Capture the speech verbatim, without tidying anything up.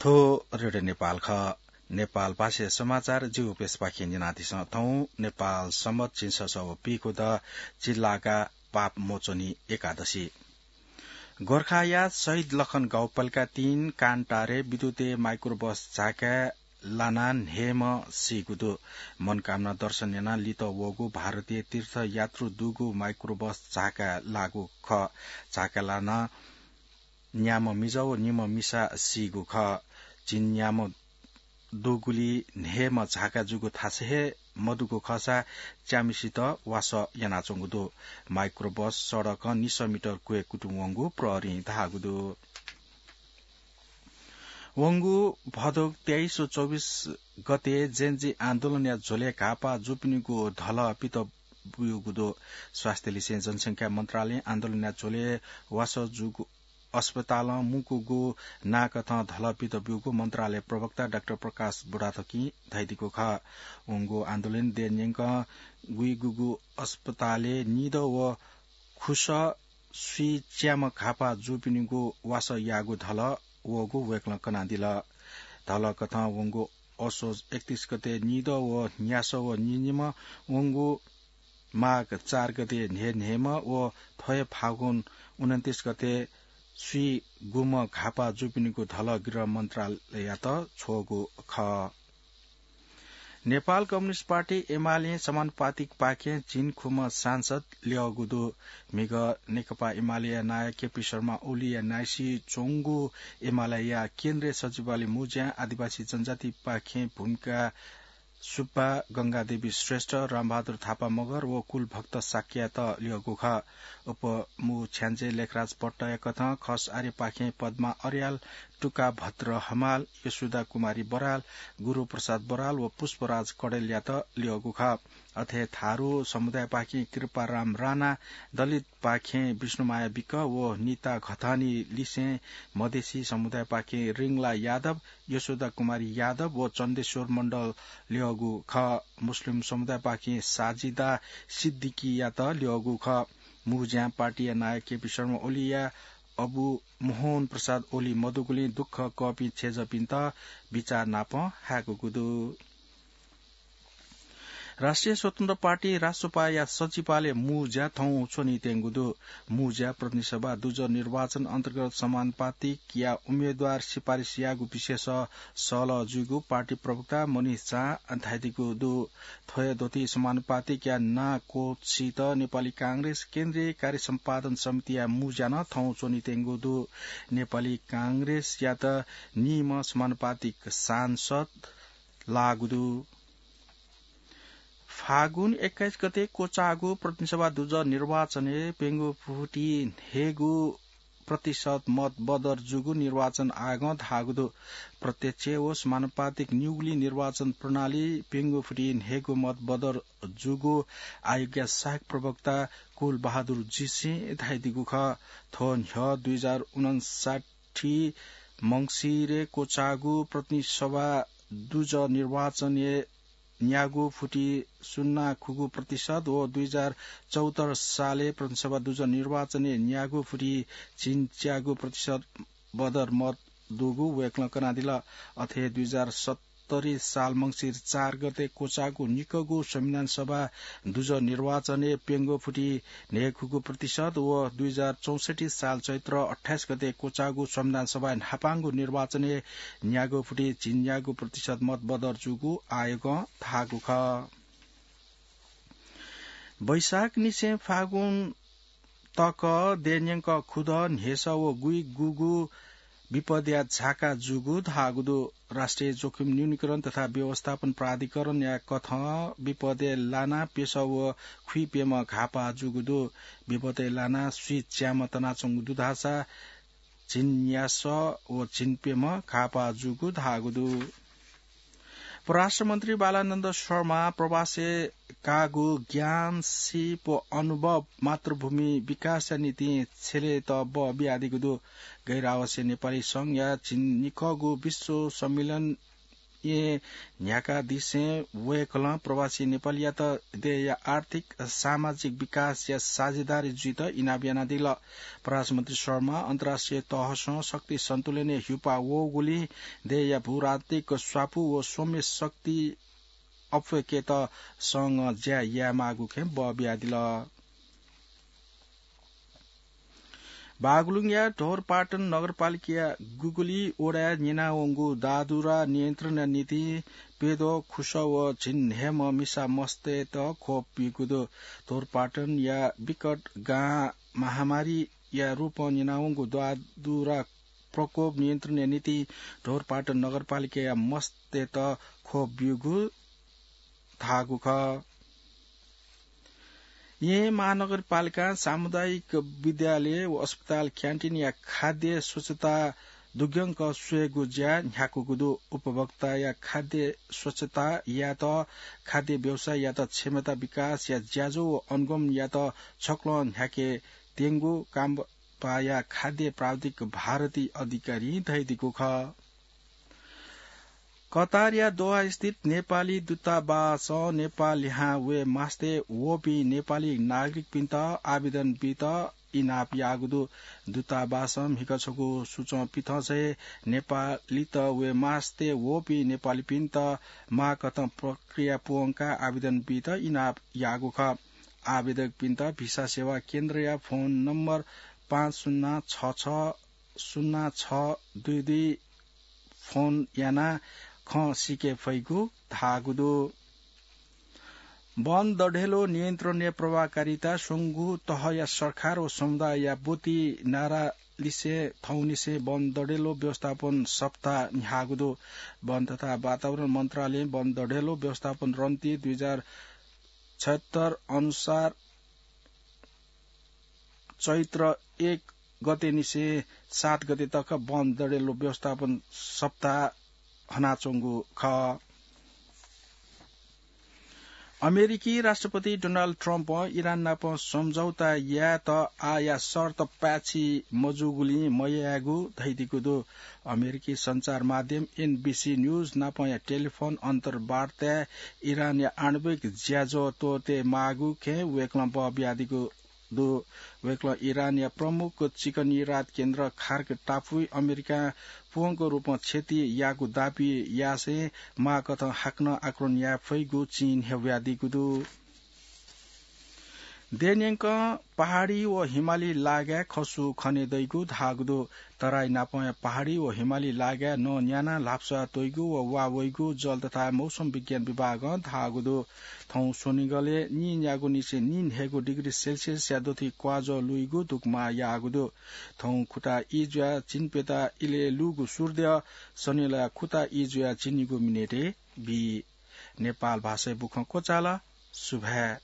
थ्व रेडियो नेपाल खः। नेपाल भाषाया समाचार जिगु प्रेसपाखें न्यनादिसँ। थौं नेपाल सम्बत झिंछसः व पीखुदँ झिंलागा पाप मोचनी एकादशी। गोर्खाया शहीद लखन गाउँपालिका तीन कान्टारे विद्युतय् माइक्रोबस झाकाय् लानाः न्हय्म्ह सीगु दु। मनकामना दर्शन यानाः लित वःगु भारतीय तीर्थयात्रु दुगु माइक्रोबस झाकाय् लाःगु खः। झाकाय् लानाः न्याम्ह मिजं व निम्ह मिसा सीगु खः। झिंन्याम्ह दुगुलिइ न्हय्म्ह झाकाय् जूगु थासय् हे मदुगु खःसा च्याम्हसित वासः यानाच्वंगु दु। माइक्रोबस सडकं निसः मिटर क्वय् कुतुं वंगु प्रहरीं धाःगु दु। वंगु भदौ तेइस व चौबिस गते जेन्जी आन्दोलनया झ्वलय् घाःपाः जूपिनिगु धलः पित ब्यूगु दु। स्वास्थ्य लिसें जनसंख्या मन्त्रालयं आन्दोलनया झ्वलय् वासः जूगु अस्पतालं मुंकूगु नाकथं धलः पित ब्यूगु मन्त्रालय प्रवक्ता डाक्टर प्रकाश बुढाथोकीं धयादीगु खः। वंगु आन्दोलनय् देय् न्यंकं गुइगुगु अस्पतालय् निदँ व खुसः स्वीच्याम्ह घाःपाः जूपिनिगु वासः याःगु धलः वःगु वय्कलं कनादिल। धलः कथं वंगु असोज एकतीस गते निदँ व न्यासः व निनिम्ह वंगु माघ चार गते न्हय्न्हय्म्ह व थ्व हे फागुन उनन्तीस गते स्वीगुम्ह घाःपाः जूपिनिगु धलः गृह मन्त्रालययात छ्वःगु खः। नेपाल कम्युनिस्ट पार्टी एमालें समानुपातिकपाखें झिंखुम्ह सांसद ल्यःगु दु। म्हिगः नेकपा एमालेया नायः केपी शर्मा ओलीया नाइसी च्वंगु एमालेया केन्द्रीय सचिवालय मुँज्यां आदिवासी जनजातिपाखें भूमिका सुब्बा, गंगादेवी श्रेष्ठ, रामबहादुर थापा मगर व कुलभक्त शाक्ययात ल्यःगु खः। उपमुख्यमन्त्री लेखराज पट्टया कथं खस आर्यपाखें पद्मा अर्याल, टुका भद्र हमाल, यशोदा कुमारी बराल, गुरुप्रसाद बराल व पुष्पराज कडेलयात ल्यःगु खः। अथे थारु समुदायपाखें कृपाराम राणा, दलित पाखें विष्णुमाया विक व निता घतानी लिसें मधेसी समुदायपाखें रिंगला यादव, यशोदा कुमारी यादव व चन्देश्वर मण्डल ल्यःगु खः। मुस्लिम समुदायपाखें साजिदा सिद्दिकीयात ल्यःगु खः। मुँज्यां पार्टीया नायः केपी शर्मा ओलीया अबु मोहन प्रसाद ओली मदुगुलिं दुःख कःपिं छेँजःपिन्त बिचाः नापं हाय्कूगु दु। राष्ट्रिय स्वतन्त्र पार्टी, रासोपाया सचिवालय मुँज्या थौं च्वनीत्यंगु दु। मुँज्या प्रतिनिधि सभा दुजः निर्वाचन अन्तर्गत समानुपातिकया उम्मेदवार सिफारिस याःगु विषयस सहलह जूगु पार्टी प्रवक्ता मनिष झां धयादीगु दु। थ्व हे द्वति समानुपातिकया नां क्वःछित नेपाली कांग्रेस केन्द्रीय कार्य सम्पादन समितिया मुँज्या नं थौं च्वनीत्यंगु दु। नेपाली कांग्रेसयात निम्ह समानुपातिक सांसद लाःगु दु। फागुन एक्काइस गते क्वचाःगु प्रतिनिधि सभा दुजः निर्वाचनय् प्यंगू फुति न्हय्गू प्रतिशत मत बदर जूगु निर्वाचन आयोगं धाःगु दु। प्रत्यक्ष व समानुपातिक निगुलिं निर्वाचन प्रणाली प्यंगू फुति न्हय्गू मत बदर जूगु आयोगया सहायक प्रवक्ता कुल बहादुर जीसिं धयादीगु खः। थ्व न्ह्यः दुई हजार उनन्साठी मंसिरे क्वचाःगु प्रतिनिधि सभा दुजः निर्वाचनय् न्यागू फुति सुन्ना खुगू प्रतिशत व दुई हजार चौहत्तर सालय् प्रतिनिधि सभा दुजः निर्वाचनय् न्यागू फुति झिंच्यागू प्रतिशत बदर मत दुगु वय्कलं कनादिल। अथे दुई हजार सत्तरी साल मंसिर चार गते क्वचाःगु निकःगु संविधान सभा दुजः निर्वाचनय् प्यंगू फुति न्हय्खुगू प्रतिशत व दुई हजार चौसठी साल चैत्र अट्ठाइस गते क्वचाःगु संविधान सभाय् न्हापांगु निर्वाचनय् न्यागू फुति झिंन्यागू प्रतिशत मत बदर जूगु आयोगं धाःगु खः। वैशाखनिसें फागुन तक देय् न्यंक खुदँ, न्ह्यसः व गुइगुगु विपदया झाका जूगु धाःगु दु। राष्ट्रिय जोखिम न्यूनीकरण तथा व्यवस्थापन प्राधिकरणया कथं विपदय् लानाः प्यसः व खुइप्यम्ह घाःपाः जूगु दु। विपदय् लानाः स्वीच्याम्ह तनाच्वंगु दु धाःसा झिंन्यासः व झिंप्यम्ह घाःपाः जूगु धाःगु दु। परराष्ट्र मन्त्री बालानन्द शर्मा प्रवासय् काःगु ज्ञान, सीप व अनुभव मातृभूमि विकासया निंतिं छ्यलेत बः बियादीगु दु। गैर आवासीय नेपाली संघया झिंनिकःगु विश्व सम्मेलन येँ न्ह्याकादिसें वय्कलं प्रवासी नेपालीयात देय्‌या आर्थिक सामाजिक विकासया साझेदारी जुइत इनाप यानादिल। परराष्ट्र मन्त्री शर्मा अन्तर्राष्ट्रिय तहसं शक्ति सन्तुलनय् ह्युपा वःगुलिं देय्‌या भूराजनीतिक स्वापू व सौम्य शक्ति अप्वय्केत संघं ज्या यायेमाःगु खँय् बः बियादिल। बागलुङया ढोरपाटन नगरपालिकाया गुगली वडाय् न्यनावंगु दादुरा नियन्त्रणया निंतिं प्यद्वः खुसः व झिंन्हय्म्ह मिसा मस्तय्त ख्वप ब्यूगु दु। ढोरपाटनया विकट गां महामारीया रूपं न्यनावंगु दादुरा प्रकोप नियन्त्रणया निंतिं ढोरपाटन नगरपालिकाया मस्तय्त ख्वप ब्यूगु धाःगु खः। येँ महानगरपालिकां सामुदायिक विद्यालय व अस्पताल क्यान्टिनया खाद्य स्वच्छता दुग्यंक स्वयेगु ज्या न्ह्याकूगु दु। उपभोक्ताया खाद्य स्वच्छता यायेत खाद्य व्यवसाययात क्षमता विकासया ज्याझ्वः व अनुगमनयात छक्वलं न्ह्याके त्यंगु काम पाया खाद्य प्राविधिक भारती अधिकारीं धयादीगु खः। कतारया दोहा स्थित नेपाली दूतावासं नेपाल लिहां वये मास्ति वःपिं नेपाली नागरिकपिन्त आवेदन बीत इनाप याःगु दु। दूतावासं म्हिगः छगू सूचं पिथंसय् नेपालीत वये मास्ति वःपिं नेपालीपिन्त माःकथं प्रक्रिया पूवंकाः आवेदन बीत इनाप याःगु खः। आवेदकपिन्त भिसा सेवा केन्द्रया फोन नम्बर पाँच शून्य छ छ शून्य छ दुई दुई फोन यानाः खँ सीके फइगु धाःगु दु। वन दढेलो नियन्त्रणया प्रभावकारिता स्वंगू तहया सरकार व समुदायया ब्वति नारा लिसे थौंनिसें वन दढेलो व्यवस्थापन सप्ताह न्ह्याःगु दु। वन तथा वातावरण मन्त्रालयं वन दढेलो व्यवस्थापन रणनीति दुई हजार छयत्तर अनुसार चैत्र एक गतेनिसें सात गते तक वन दढेलो व्यवस्थापन सप्ताह हनाच्वंगु खः। अमेरिकी राष्ट्रपति डोनाल्ड ट्रम्पं इरान नाप सम्झौता यायेत आःया शर्त पाय्छि मजूगुलिं मयायेगु धयादीगु दु। अमेरिकी सञ्चार माध्यम एनबिसी न्यूज नापया टेलिफोन अन्तर्वार्ताय् इरानया आणविक ज्याझ्वः त्वःते माःगु खँय् वय्कलं बः बियादीगु दु। वय्कलं इरानया प्रमुख चिकनी रात केन्द्र खार्क टापुइ अमेरिकां पूवंक रूपं क्षति याःगु दाबी यासें माःकथं हाकनं आक्रमण याये फइगु चिं न्ह्यब्वयादीगु दु। देय्‌न्यंकं पहाडी व हिमाली लागाय् खसु खने दइगु धाःगु दु। तराई नापंया पहाडी व हिमाली लागाय् नं न्यानाः ल्हापस्वाः त्वइगु व वा वइगु जल तथा मौसम विज्ञान विभागं धाःगु दु। थौं स्वनिगलय् नीन्यागूनिसें नीन्हय्गू डिग्री सेल्सियसया दथुइ क्वाजः लुइगु दुकमा याःगु दु। थौं खुता ई जुयाः झिंप्यता इलय् लूगु सूर्द्यः सनिलया खुता ई जुयाः झिंनिगू मिनेटय् बी। नेपाल भाषाय् बुखँ क्वचाल। सुभाय्।